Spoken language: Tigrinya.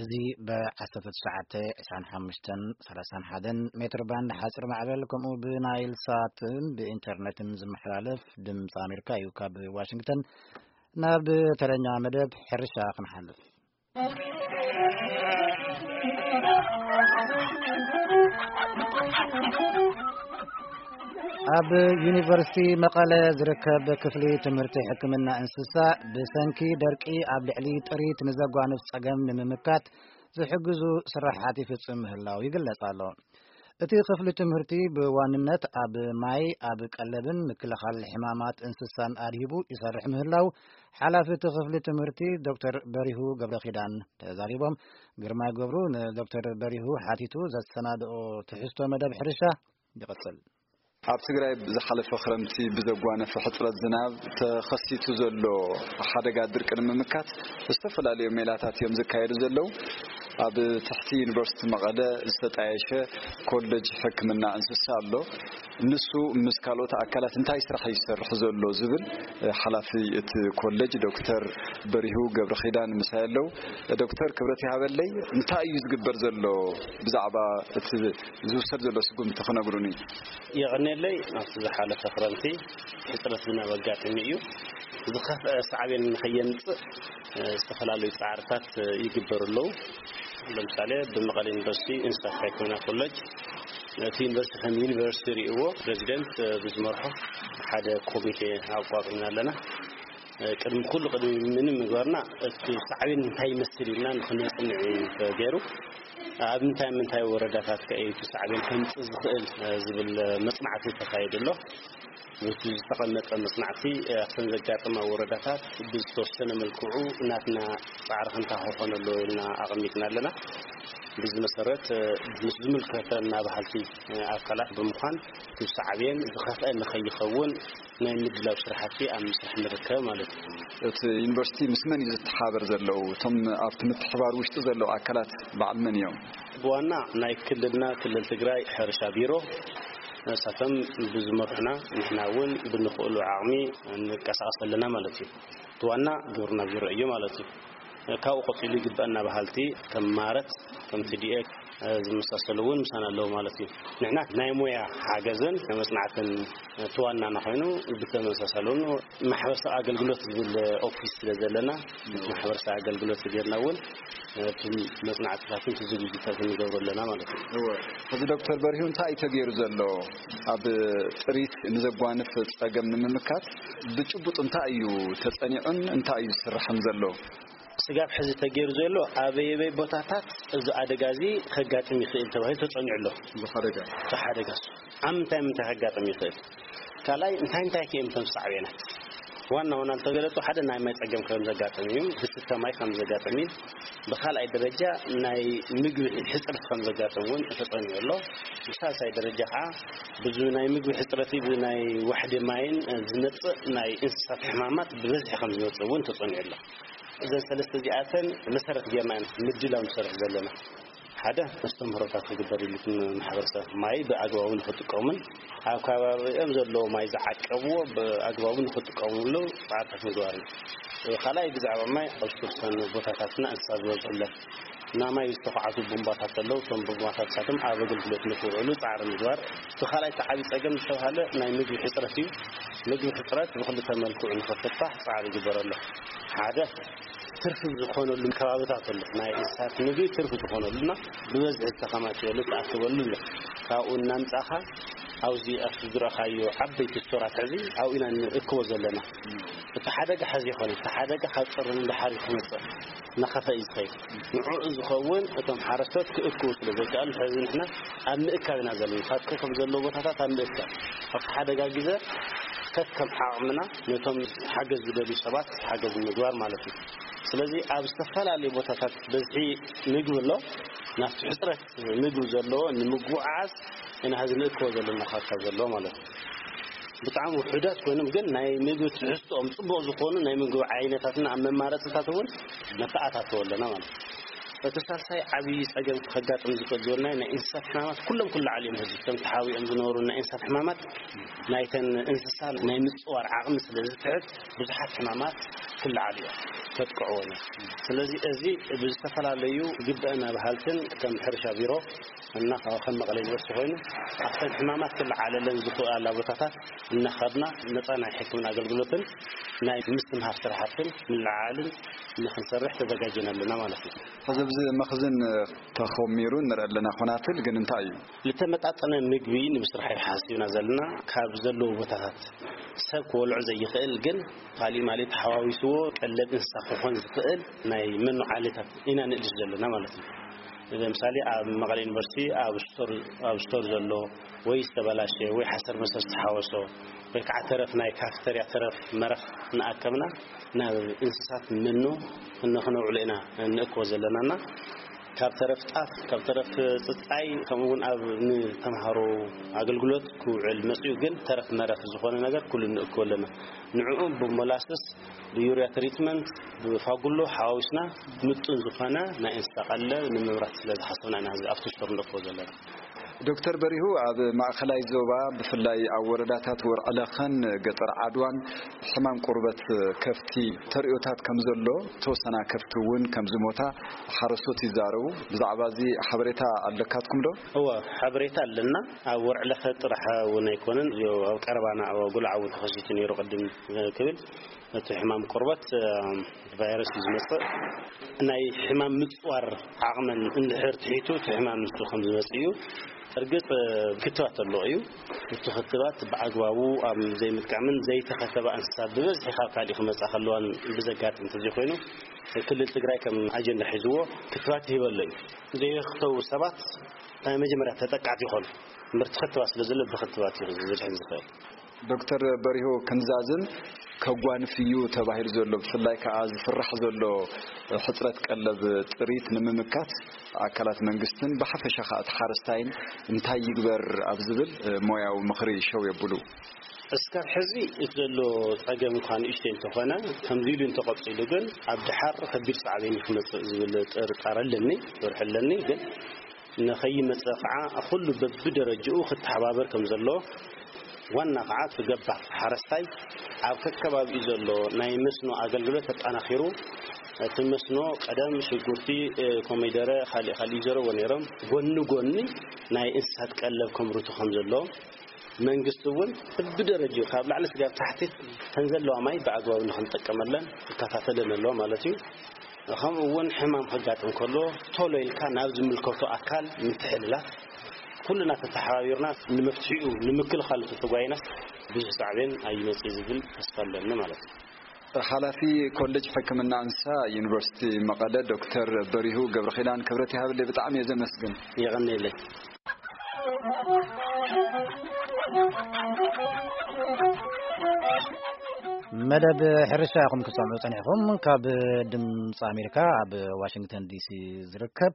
እዚ ብ19፣ 25፣ 31 ሜትር ባንድ ሓፂር ማዕበል፣ ከምኡ ብናይል ሳትን ብኢንተርኔትን ዝመሓላለፍ ድምፂ ኣሜሪካ እዩ። ካብ ዋሽንግተን ናብ ተረኛ መደብ ሕርሻ ክንሓልፍ። ኣብ ዩኒቨርሲቲ መቐለ ዝርከብ ክፍሊ ትምህርቲ ሕክምና እንስሳ፣ ብሰንኪ ደርቂ ኣብ ልዕሊ ጥሪት ንዘጓንፍ ጸገም ንምምካት ዝሕግዙ ስራሓት ይፍጽም ምህላው ይግለጽ ኣሎ። እቲ ክፍሊ ትምህርቲ ብዋንነት ኣብ ማይ፣ ኣብ ቀለብን ምክልኻል ሕማማት እንስሳን ኣድሂቡ ይሰርሕ ምህላው ሓላፊ እቲ ክፍሊ ትምህርቲ ዶክተር በሪሁ ገብረኺዳን ተዛሪቦም። ግርማይ ገብሩ ንዶክተር በሪሁ ሓቲቱ ዘሰናድኦ ትሕዝቶ መደብ ሕርሻ ይቕጽል። ኣብ ትግራይ ዝሓለፈ ክረምቲ ብዘጓነፈ ሕፅረት ዝናብ ተኸሲቱ ዘሎ ሓደጋ ድርቂ ንምምካት ዝተፈላለዩ ሜላታት እዮም ዝካየዱ ዘለዉ። ኣብ ትሕቲ ዩኒቨርሲቲ መቐለ ዝተጣየሸ ኮሌጅ ሕክምና እንስሳ ኣሎ። ንሱ ምስ ካልኦት ኣካላት እንታይ ስራሕ እዩ ዝሰርሕ ዘሎ ዝብል፣ እ፣ ሓላፊ እቲ ኮሌጅ ዶክተር በሪሁ ገብረኺዳን ምሳይ ኣለዉ። ዶክተር፣ ክብረት ይሃበለይ። እንታይ እዩ ዝግበር ዘሎ? ብዛዕባ እቲ ዝውሰድ ዘሎ ስጉምቲ ክነግሩኒ። የቐኔለይ። ኣብቲ ዝሓለፈ ክረምቲ ሕፅረት ዝናብ ኣጋጢሙ እዩ። ዝኸፍአ ሳዕቤን ንኸየምፅእ፣ እ፣ ዝተፈላለዩ ፃዕርታት፣ እ፣ ይግበሩ ኣለዉ። ለምሳሌ፣ ብመቐለ ዩኒቨርሲቲ እንስሳት ሕክምና ኮሌጅ፣ እቲ ዩኒቨርሲቲ ከም ዩኒቨርሲቲ ርእይዎ፣ ፕሬዚደንት፣ እ፣ ብዝመርሖ ሓደ ኮሚቴ ኣቋቁምና ኣለና። እ፣ ቅድሚ ኩሉ፣ ቅድሚ ምንም ምግባርና፣ እቲ ሳዕቤን እንታይ ይመስል ኢልና ንኽነጽንዕ እዩ ተገይሩ። ኣብ ምንታይ ምንታይ ወረዳታት ከ እዩ እቲ ሳዕቤን ከምጽእ ዝኽእል፣ እ፣ ዝብል፣ እ፣ መጽናዕቲ ተኻይዱ ኣሎ። በቲ ዝተቐመጠ መጽናዕቲ፣ እ፣ ኣብተን ዘጋጠማ ወረዳታት ብዝተወሰነ መልክዑ ናትና ጻዕሪ ክንታ ክኾነሉ ኢልና ኣቐሚጥና ኣለና። ብዚ መሰረት፣ እ፣ ምስ ዝምልከተና በሃልቲ፣ እ፣ ኣካላት ብምዃን እቲ ሳዕቤን ዝኸፍአ ንኸይኸውን ናይ ምድላው ስራሕቲ ኣብ ምስራሕ ንርከብ ማለት እዩ። እቲ ዩኒቨርሲቲ ምስ መን እዩ ዝተሓባበር ዘለዉ? እቶም ኣብቲ ምትሕባር ውሽጢ ዘለዉ ኣካላት በዓል መን እዮም? ብዋና ናይ ክልልና፣ ክልል ትግራይ ሕርሻ ቢሮ፣ ንሳቶም ብዝመርሑና፣ ንሕና እውን ብንኽእሉ ዓቕሚ እንቀሳቐስ ኣለና ማለት እዩ። እቲ ዋና ግብርና ቢሮ እዩ ማለት እዩ። ካብኡ ቀፂሉ ይግበአና በሃልቲ ከም ማረት፣ ከም ቲ ዲ ኤ ዝመሳሰሉ እውን ምሳና ኣለዉ ማለት እዩ። ንሕና ናይ ሞያ ሓገዝን መጽናዕትን እቲ ዋናና ኮይኑ፣ ብተመሳሳሊ እውን ማሕበረሰብ ኣገልግሎት ዝብል ኦፊስ ስለ ዘለና፣ ማሕበረሰብ ኣገልግሎት ጌርና እውን እቲ መጽናዕትታትን እቲ ዝግጅታት ንገብሮ ኣለና ማለት እዩ። እወ። ሕዚ ዶክተር በሪሁ፣ እንታይ እዩ ተገይሩ ዘሎ? ኣብ ጥሪት ንዘጓንፍ ጸገም ንምምካት ብጭቡጥ እንታይ እዩ ተጸኒዑን እንታይ እዩ ዝስራሕን ዘሎ? ስጋብ ሕዚ ተገይሩ ዘሎ፣ ኣበየበይ ቦታታት እዚ ኣደጋ እዚ ከጋጥም ይኽእል ተባሂሉ ተጸኒዑ ኣሎ። ብሓደጋ? እቲ ሓደጋ እሱ ኣብ ምንታይ ምንታይ ከጋጥም ይኽእል? ካልኣይ፣ እንታይ እንታይ ከ እዮም እቶም ሳዕቤናት? ዋና ዋና ዝተገለጹ፣ ሓደ፣ ናይ ማይ ጸገም ከም ዘጋጥም እዩ፣ ዝስተ ማይ ከም ዘጋጥም እዩ። ብኻልኣይ ደረጃ፣ ናይ ምግቢ ሕጽረት ከም ዘጋጥም እውን ተጸኒዑ ኣሎ። ብሳልሳይ ደረጃ ከዓ፣ ብዚ ናይ ምግቢ ሕጽረት፣ ብዚ ናይ ዋሕዲ ማይን ዝመጽእ ናይ እንስሳት ሕማማት ብበዝሒ ከም ዝመጽእ እውን ተጸኒዑ ኣሎ። እዘን ሰለስተ እዚኣተን መሰረት ጌርና ኢና ምድላው ንሰርሕ ዘለና። ሓደ፣ መስተምህሮታት ክግበር ኢሉ፣ ማሕበረሰብ ማይ ብኣግባቡ ንኽጥቀሙን ኣብ ከባቢኦም ዘለዎ ማይ ዝዓቀብዎ ብኣግባቡ ንኽጥቀሙሉ ፃዕርታት ምግባር እዩ። ካልኣይ፣ ብዛዕባ ማይ፣ ኣብ ዝተወሰኑ ቦታታትና እንስሳ ዝበዝሑለን እና ማይ ዝተዃዕቱ ቡምባታት ኣለዉ። እቶም ቡምባታት ንሳቶም ኣብ ኣገልግሎት ንክውዕሉ ፃዕሪ ምግባር። እቲ ካልኣይ፣ እቲ ዓብዪ ፀገም ዝተባሃለ ናይ ምግቢ ሕፅረት እዩ። ምግቢ ሕፅረት ብክልተ መልክዑ ንኽፍታሕ ፃዕሪ ይግበር ኣሎ። ሓደ፣ ትርፊ ዝኾነሉ ከባብታት ኣሎ። ናይ እንስሳት ምግቢ ትርፊ ዝኾነሉ እና ብበዝሒ ዝተኸማቸየሉ፣ ዝተኣከበሉ ኣሎ። ካብኡ እናምጻኻ ኣብዚ ኣብቲ ዝረኣኻዮ ዓበይቲ ስቶራት ሕዚ ኣብኡ ኢና ንእክቦ ዘለና። እቲ ሓደጋ ሕዚ ይኾነ፣ እቲ ሓደጋ ካብ ጥሪ ንደሓር እዩ ክመጽእ፣ እናኸፍአ እዩ ዝኸይድ። ንዕኡ ዝኸውን እቶም ሓረስቶት ክእክቡ ስለ ዘይከኣሉ፣ ሕዚ ንሕና ኣብ ምእካብ ኢና ዘለና። ካብቲ ከም ዘለዎ ቦታታት ኣብ ምእካብ፣ ኣብቲ ሓደጋ ግዜ ከከም ዓቕምና ነቶም ሓገዝ ዝደልዩ ሰባት ሓገዝ ምግባር ማለት እዩ። ስለዚ ኣብ ዝተፈላለዩ ቦታታት በዝሒ ምግቢ ኣሎ። ናብቲ ሕፅረት ምግቢ ዘለዎ ንምጉዕዓዝ ኢና ሕዚ ንእክቦ ዘለና ካርታ ዘሎ ማለት እዩ። ብጣዕሚ ውሑዳት ኮይኖም ግን ናይ ምግቢ ትሕዝትኦም ፅቡቕ ዝኾኑ ናይ ምግቢ ዓይነታትና ኣብ መማረፅታት እውን ነተኣታትዎ ኣለና ማለት እዩ። እቲ ሳልሳይ ዓብዪ ፀገም ከጋጥም ዝኽእል ዝበልናዮ ናይ እንስሳት ሕማማት ኩሎም ኩሉ ዓሊዮም ሕዚ እቶም ተሓዊኦም ዝነበሩ ናይ እንስሳት ሕማማት ናይተን እንስሳ ናይ ምፅዋር ዓቕሚ ስለ ዝትሕት ብዙሓት ሕማማት ክለዓል እዩ፣ ተጥቅዕዎ። ስለዚ እዚ ብዝተፈላለዩ ግብአና በሃልትን ከም ሕርሻ ቢሮ እና ካብ ከም መቐለ ዩኒቨርሲቲ ኮይኑ ኣብተን ሕማማት ክለዓለለን ዝኽእላ ቦታታት እናኸድና ነፃ ናይ ሕክምና ኣገልግሎትን ናይ ምስትምሃር ስራሕትን ምልዓልን ንክንሰርሕ ተዘጋጅና ኣለና ማለት እዩ። ሕዚ ኣብዚ መኽዝን ተኾሚሩ ንርኢ ኣለና። ኮናትል ግን እንታይ እዩ? ዝተመጣጠነ ምግቢ ንምስራሕ ሓሲብና ዘለና ካብ ዘለዎ ቦታታት ሰብ ክበልዖ ዘይኽእል ግን ካሊእ ማለት ተሓዋዊስዎ ቀለብ እንስሳ ክኾን ዝኽእል ናይ መኖ ዓሌታት ኢና ንእልሽ ዘለና ማለት እዩ። ለምሳሌ ኣብ መቐለ ዩኒቨርሲቲ ኣብ ስቶር፣ ኣብ ስቶር ዘሎ ወይ ዝተበላሸ ወይ ሓሰር መሰር ዝተሓወሶ ወይ ከዓ ተረፍ ናይ ካፍተርያ ተረፍ መረኽ ንኣከብና ናብ እንስሳት መኖ እነ ክነውዕሎ ኢና እንእክቦ ዘለናና ካብ ተረፍ ጣፍ፣ ካብ ተረፍ ጽጻይ፣ ከምኡ እውን ኣብ ንተምሃሮ ኣገልግሎት ክውዕል መጽኡ ግን ተረፍ መረፍ ዝኾነ ነገር ኩሉ ንእክቦ ኣለና። ንዕኡ ብሞላስስ ብዩርያ ትሪትመንት ብፋጉሎ ሓዋዊስና ምጡን ዝኾነ ናይ እንስሳ ቀለብ ንምምራት ስለ ዝሓሰብና ኢና ኣብዚ ኣብቲ ስቶር ንእክቦ ዘለና። ዶክተር በሪሁ፣ ኣብ ማእኸላይ ዞባ ብፍላይ ኣብ ወረዳታት ወርዕለኸን ገጠር ዓድዋን ሕማም ቁርበት ከፍቲ ተርእዮታት ከም ዘሎ፣ ተወሰና ከፍቲ እውን ከም ዝሞታ ሓረስቶት ይዛረቡ። ብዛዕባ እዚ ሓበሬታ ኣለካትኩም ዶ? እወ፣ ሓበሬታ ኣለና። ኣብ ወርዕለኸ ጥራሕ እውን ኣይኮነን፣ እዚኦ ኣብ ቀረባና ኣብ ጉልዓ እውን ተኸሲቱ ነይሩ ቅድም ክብል እቲ ሕማም ቆርበት እ፣ ቫይረስ እዩ ዝመጽእ። ናይ ሕማም ምጽዋር ዓቕመን እንድሕር ትሒቱ እቲ ሕማም ንሱ ከም ዝመጽእ እዩ። እርግጥ እ፣ ክትባት ኣሎ እዩ። እቲ ክትባት ብኣግባቡ ኣብ ዘይምጥቃምን ዘይተኸተባ እንስሳ ብበዝሒ ካብ ካሊእ ክመጻ ከለዋን ብዘጋጥም እንተዘይኮይኑ ክልል ትግራይ ከም ኣጀንዳ ሒዝዎ ክትባት ይህበሎ እዩ። ዘይኽተቡ ሰባት ናይ መጀመርያ ተጠቃዕቲ ይኾኑ። እምበር እቲ ክትባት ስለ ዘሎ ብክትባት እዩ ዝድሕን ዝኽእል። ዶክተር በሪሁ ክንዛዝን ከጓንፍ እዩ ተባሂሉ ዘሎ ብፍላይ ከዓ ዝፍራሕ ዘሎ ሕፅረት ቀለብ ጥሪት ንምምካት ኣካላት መንግስትን ብሓፈሻ ከዓ እቲ ሓረስታይን እንታይ ይግበር ኣብ ዝብል ሞያዊ ምኽሪ ሸው የብሉ። እስካብ ሕዚ እቲ ዘሎ ፀገም እኳ ንእሽተይ እንተኾነ ከምዚ ኢሉ እንተቐፂሉ ግን ኣብ ድሓር ከቢድ ሳዕቤን ክመፅእ ዝብል ጥርጣረ ኣለኒ፣ ፍርሒ ኣለኒ። ግን ንኸይመጽእ ኸዓ ኩሉ በብደረጅኡ ክተሓባበር ከም ዘሎ፣ ዋና ኸዓ እቲ ገባር ሓረስታይ ኣብ ከከባቢኡ ዘሎ ናይ መስኖ ኣገልግሎት ኣጠናኺሩ፣ እቲ መስኖ ቀደም ሽጉርቲ፣ ኮሚደረ፣ ካሊእ ካሊእ ይዘረዎ ነይሮም። ጎኒ ጎኒ ናይ እንስሳት ቀለብ ከምርቱ ከም ዘሎ፣ መንግስቲ እውን ብደረጅኡ ካብ ላዕሊ ስጋብ ታሕቲ ተን ዘለዋ ማይ ብኣግባቡ ንክንጠቀመለን ክከታተለን ኣለዎ ማለት እዩ። ከምኡ እውን ሕማም ከጋጥም ከሎ ቶሎ ኢልካ ናብ ዝምልከቶ ኣካል ምትሕልላፍ፣ ኩልና ተተሓባቢርና ንመፍትሒኡ ንምክልኻሉ ተተጓይናስ ብዙሕ ሳዕቤን ኣይመጽእ ዝብል ተስፋ ኣለኒ ማለት እዩ። ሓላፊ ኮሌጅ ሕክምና እንስሳ ዩኒቨርሲቲ መቐለ ዶክተር በሪሁ ገብረኺዳን ክብረት ይሃብለይ፣ ብጣዕሚ እየ ዘመስግን። የቐንየለይ። መደብ ሕርሻ ኢኹም ክትሰምዑ ጸኒሕኹም። ካብ ድምፂ ኣሜሪካ ኣብ ዋሽንግተን ዲሲ ዝርከብ